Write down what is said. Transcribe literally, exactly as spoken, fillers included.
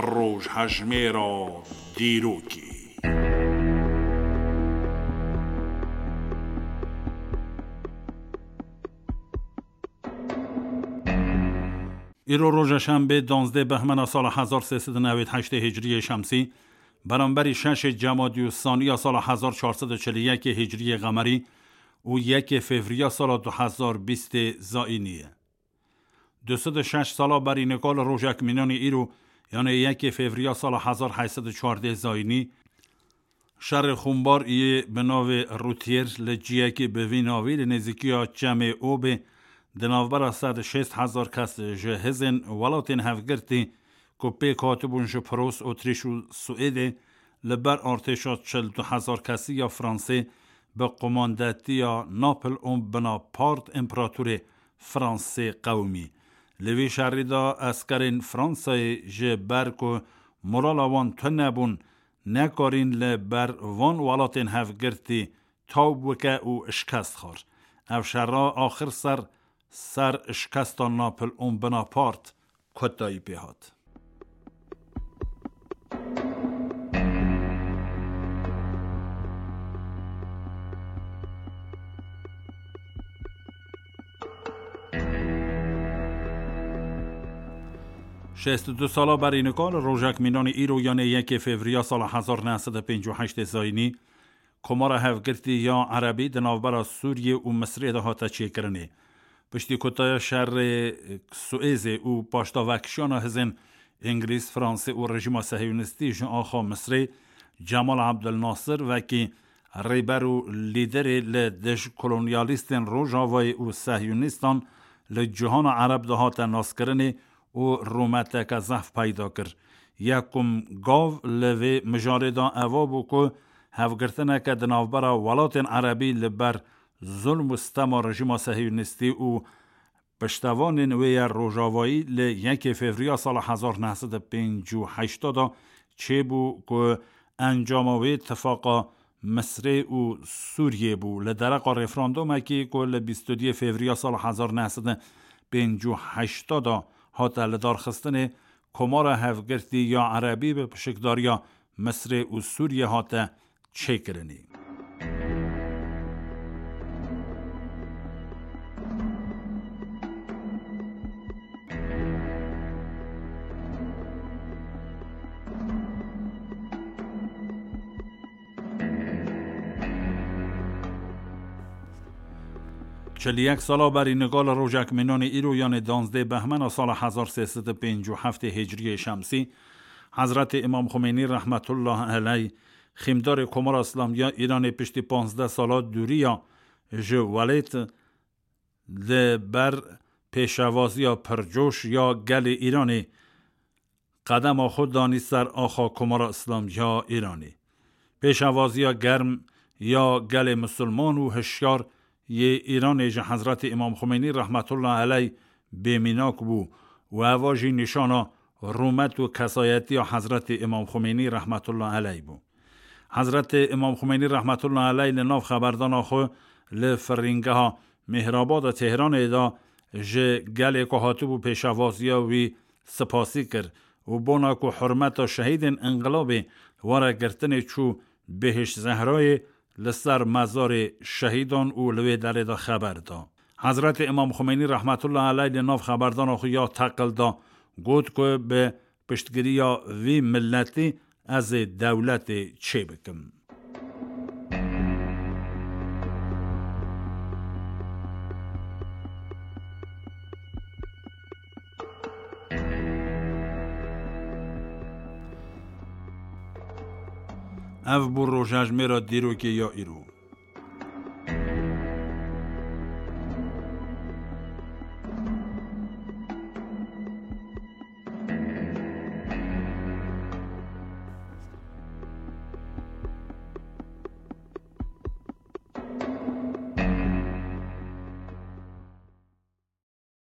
Rojhejmêra dîrokê. Îro roja şembê, danzdeh behmena sala hezar sê sed û newêd heştê hicriyê şemsî, beramberî şeşê cemadî û saniya sala hezar çar sed û çil û yekê hicriyê qemerî û yekê fevriya sala du hezar bîstê zayînî ye. Du sed û şeş sala berî nika li rojek mînanî îro, yanê yekê fevriya sala hezar heyt sed û çardeh zayînî, şerê xûnbar yê bi navê Rûtiyêr li ciyekê bi vî navî li nêzîkiya Çemê Obê di navbera sed û şêst hezar kes ji hizên welatên hevgirtî ku pêk hatibûn ji Pros, Otrîş û Swêdê li ber artêşa çil du hezar kesî ya Fransê bi qumandetiya Napoleon Bonaparte, împeratorê Fransê qewimî. Li vî şerî de eskerên Fransayê ji ber ku morala wan tune bûn, nekarîn li ber van welatên hevgirtî taw bike û şikest xwar. Ev şera axir ser, ser şikesta Napoleon Bonaparte kotayî pê hat. Şêst û du sala berî nika li rojek mînanî îro, yanê yekê fevriya sala hezar neh sed û pêncî û heştê zayînî, Komara Hevgirtî ya Erebî di navbera Sûriyê û Misrê de hate çêkirinê. Piştî kutaya şerê Suêzê û paşdavekişiyana hizên Îngilîz, Fransê û rejîma Sehiyonistî ji axa Misrê, Cemal Abdel Nasir wekî rêber û lîderê li dij kolonyalîstên Rojavayê û Sehiyonîstan li cihana Ereb de hate naskirinê û rûmeteke zehf peyda kir. Yekum gav li vê mijarê de eva bû ku hevgirtineke di navbera welatên Erebî li ber zulm û stema rejîma Sehiyonistî û piştevanên wê ya Rojavayî li yekê Fevriya sala hezar neh sed û pêncî û heşt de çêbû ku encama wê tifaqa Misrê û Sûriyê bû. Li dereqa referandumekî ku li bîst û duyê Fevriya sala hezar neh sed û pêncî û heşt de hate lidarxistinê, Komara Hevgirtî ya Erebî bi pişikdariya Misrê û Sûriyê hate çêkirinê. Çil yek sala berî nika li rojek mînanê îro, yanê danzdeh behmena sala hezar sê sed û pêncî û heftê hicriyê şemsî, Hezretê Îmam Xumeynî rehmetullah eleyh, xîmdarê Komara Îslamî ya Îranê, piştî panzdeh sala dûriya ji welêt, li ber pêşevaziya pircoş ya gelê Îranê qedema xwe danî ser axa Komara Îslamî ya Îranê. Pêşevaziya germ ya gelê misilman û hişyar yê Îranê ji Hezretê Îmam Xumeynî rehmetullah eleyh bêmînak bû û eva jî nîşana rûmet û kesayetiya Hezretê Îmam Xumeynî rehmetullah eleyh bû. Hezretê Îmam Xumeynî rehmetullah eleyh li nav xeberdana xwe li firîngeha Mihrabada Tehranê de ji gelê ku hatibû pêşevaziya wî sipasî kir û bona ku hurmeta şehîdên înqilabê were girtinê, çû Bihişt Zehrayê li ser mezarê şehîdan û li wê derê de xeber da. Hezretê Îmam Xumeynî rehmetullah eleyh li nav xeberdana xwe ya teqil da, got ku bi piştgiriya vî miletî ez ê dewletê çêbikim. Ev bû rojhejmêra dîrokê ya îro.